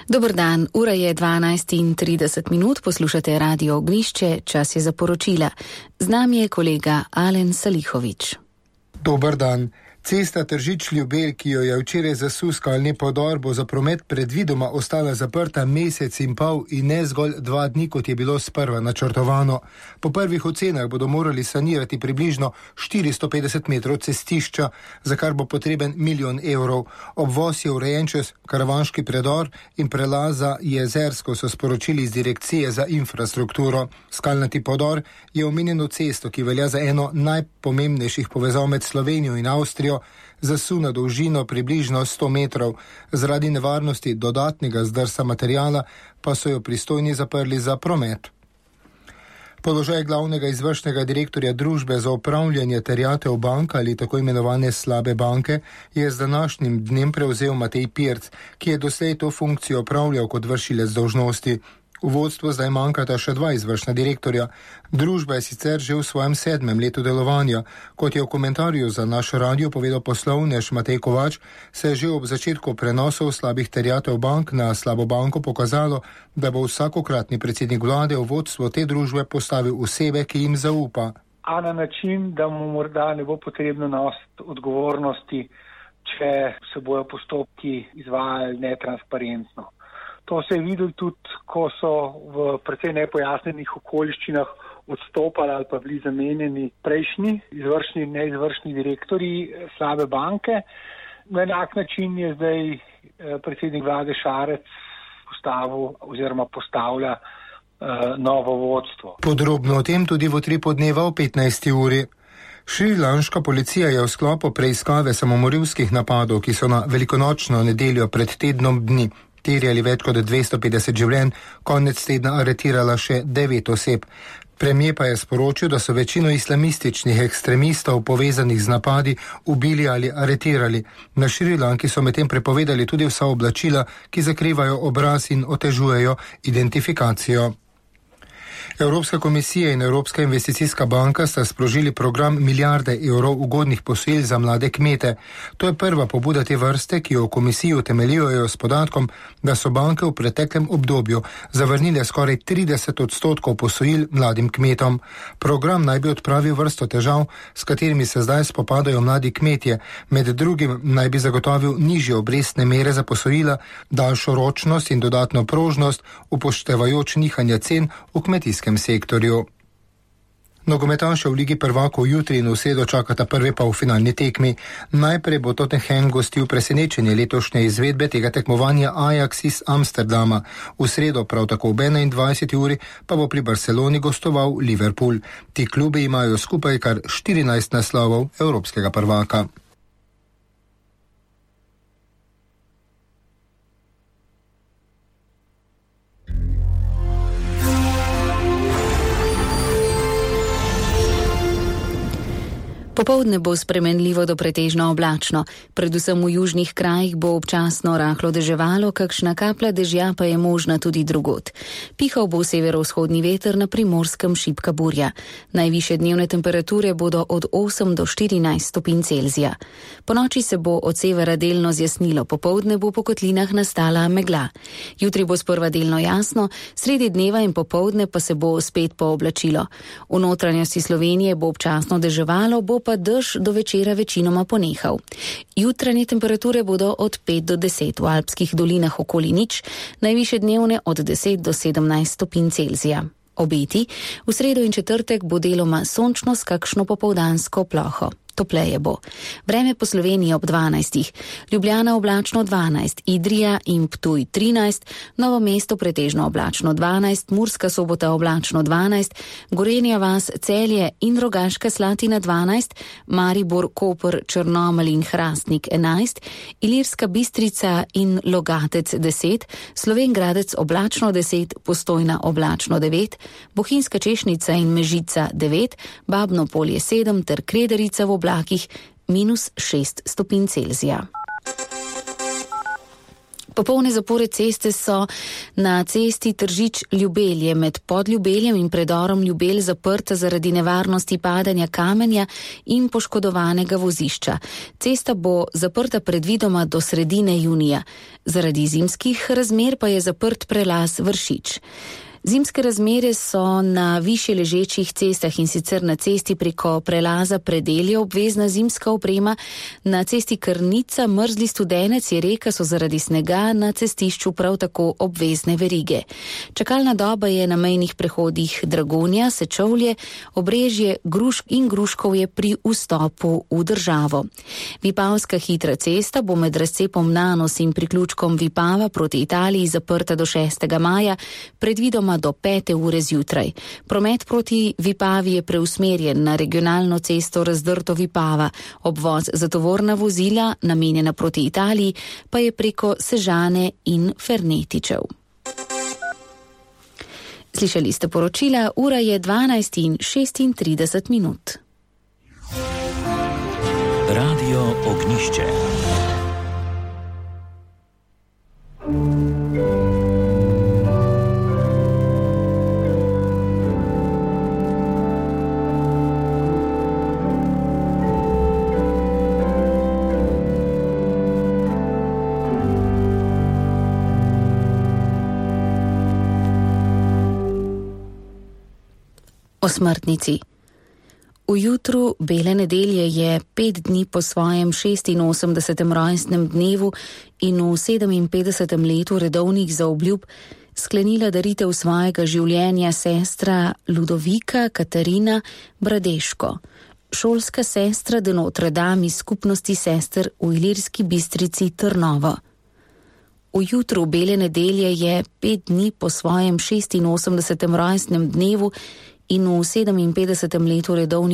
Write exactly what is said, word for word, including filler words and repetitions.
Dober dan, ura je dvanajst in trideset minut, poslušate Radio Ognjišče, čas je za poročila. Z nami je kolega Alen Salihovič. Dober dan. Cesta Tržič-Ljubelj, ki jo je včeraj zasul skalni podor, bo za promet predvidoma ostala zaprta mesec in pol in ne zgolj dva dni, kot je bilo sprva načrtovano. Po prvih ocenah bodo morali sanirati približno štiristo petdeset metrov cestišča, za kar bo potreben milijon evrov. Obvoz je urejen čez karavanški predor in prelaza Jezersko, so sporočili iz Direkcije za infrastrukturo. Skalnati podor je omenjeno cesto, ki velja za eno najpomembnejših povezav med Slovenijo in Avstrijo, zasuna dolžino približno sto metrov. Zaradi nevarnosti dodatnega zdrsa materijala pa so jo pristojni zaprli za promet. Položaj glavnega izvršnega direktorja družbe za upravljanje terjatev bank ali tako imenovane slabe banke je z današnjim dnem prevzel Matej Pirc, ki je doslej to funkcijo opravljal kot vršilec dolžnosti. V vodstvu zdaj manjkata še dva izvršna direktorja. Družba je sicer že v svojem sedmem letu delovanja. Kot je v komentarju za naš radio povedal poslovnež Matej Kovač, se je že ob začetku prenosov slabih terjatev bank na slabo banko pokazalo, da bo vsakokratni predsednik vlade v vodstvo te družbe postavil osebe, ki jim zaupa. A na način, da mu morda ne bo potrebno nositi odgovornosti, če se bojo postopki izvajali netransparentno. To se je videlo tudi, ko so v precej nepojasnenih okoliščinah odstopali ali pa bili zamenjeni prejšnji izvršni in neizvršni direktorji slabe banke. Na enak način je zdaj predsednik vlade Šarec postavil oziroma postavlja uh, novo vodstvo. Podrobno o tem tudi v Utripu dneva o petnajsti uri. Šrilanška policija je v sklopu preiskave samomorilskih napadov, ki so na velikonočno nedeljo pred tednom dni terjali več kot dvesto petdeset življenj, konec tedna aretirala še devet oseb. Premijer pa je sporočil, da so večino islamističnih ekstremistov povezanih z napadi ubili ali aretirali. Na Šrilanki so medtem prepovedali tudi vsa oblačila, ki zakrivajo obraz in otežujejo identifikacijo. Evropska komisija in Evropska investicijska banka sta sprožili program milijarde evrov ugodnih posojil za mlade kmete. To je prva pobuda te vrste, ki jo v komisiji utemeljujejo s podatkom, da so banke v preteklem obdobju zavrnile skoraj trideset odstotkov posojil mladim kmetom. Program naj bi odpravil vrsto težav, s katerimi se zdaj spopadajo mladi kmetje. Med drugim naj bi zagotovil nižje obrestne mere za posojila, daljšo ročnost in dodatno prožnost, upoštevajoč nihanja cen v kmetijskem sektorju. Nogometaše v Ligi prvakov jutri in v sredo čakata prvi polfinalni tekmi. Najprej bo Tottenham gostil presenečenje letošnje izvedbe tega tekmovanja Ajax iz Amsterdama. V sredo prav tako ob enaindvajseti uri pa bo pri Barceloni gostoval Liverpool. Ti klubi imajo skupaj kar štirinajst naslovov evropskega prvaka. Popoldne bo spremenljivo do pretežno oblačno. Predvsem v južnih krajih bo občasno rahlo deževalo, kakšna kaplja dežja pa je možna tudi drugod. Pihal bo severovzhodni veter, na Primorskem šibka burja. Najvišje dnevne temperature bodo od osem do štirinajst stopinj Celzija. Ponoči se bo od severa delno zjasnilo, popoldne bo po kotlinah nastala megla. Jutri bo sprva delno jasno, sredi dneva in popoldne pa se bo spet pooblačilo. V notranjosti Slovenije bo občasno deževalo, bo pa dež do večera večinoma ponehal. Jutranje temperature bodo od pet do deset, v alpskih dolinah okoli nič, najvišje dnevne od deset do sedemnajst stopinj Celzija. Obeti, v sredo in četrtek bo deloma sončno s kakšno popoldansko ploho. Topleje bo. Vreme po Sloveniji ob dvanajstih. Ljubljana oblačno dvanajst, Idrija in Ptuj trinajst, Novo mesto pretežno oblačno dvanajst, Murska Sobota oblačno dvanajst, Gorenja vas, Celje in Rogaška Slatina dvanajst, Maribor, Koper, Črnomelj in Hrastnik enajst, Ilirska Bistrica in Logatec deset, Slovenj Gradec oblačno deset, Postojna oblačno devet, Bohinjska Češnica in Mežica devet, Babno Polje sedem ter Krederica v oblakih minus šest stopinj Celzija. Popolne zapore ceste so na cesti Tržič-Ljubelje med Podljubeljem in predorom Ljubelj zaprta zaradi nevarnosti padanja kamenja in poškodovanega vozišča. Cesta bo zaprta predvidoma do sredine junija. Zaradi zimskih razmer pa je zaprt prelaz Vršič. Zimske razmere so na višje ležečih cestah, in sicer na cesti preko prelaza Predelje obvezna zimska oprema, na cesti Krnica, Mrzli Studenec je reka so zaradi snega, na cestišču prav tako obvezne verige. Čakalna doba je na mejnih prehodih Dragonja, Sečovlje, Obrežje, Grušk in Gruškovje pri vstopu v državo. Vipavska hitra cesta bo med razcepom Nanos in priključkom Vipava proti Italiji zaprta do šestega maja, predvidoma do pete ure zjutraj. Promet proti Vipavi je preusmerjen na regionalno cesto Razdrto Vipava. Obvoz za tovorna vozila, namenjena proti Italiji, pa je preko Sežane in Fernetičev. Slišali ste poročila, ura je dvanajst in šestintrideset minut. Radio Ognišče. O smrtnici. V jutru bele nedelje je pet dni po svojem šestinosemdesetem rojstnem dnevu in v sedeminpetdesetem letu redovnih zaobljub sklenila daritev svojega življenja sestra Ludovika Katarina Bradeško, šolska sestra de Notre Dame iz skupnosti sester v Ilirski Bistrici Trnovo. V jutru bele nedelje je pet dni po svojem šestinosemdesetem rojstnem dnevu in v sedeminpetdesetem letu redovnih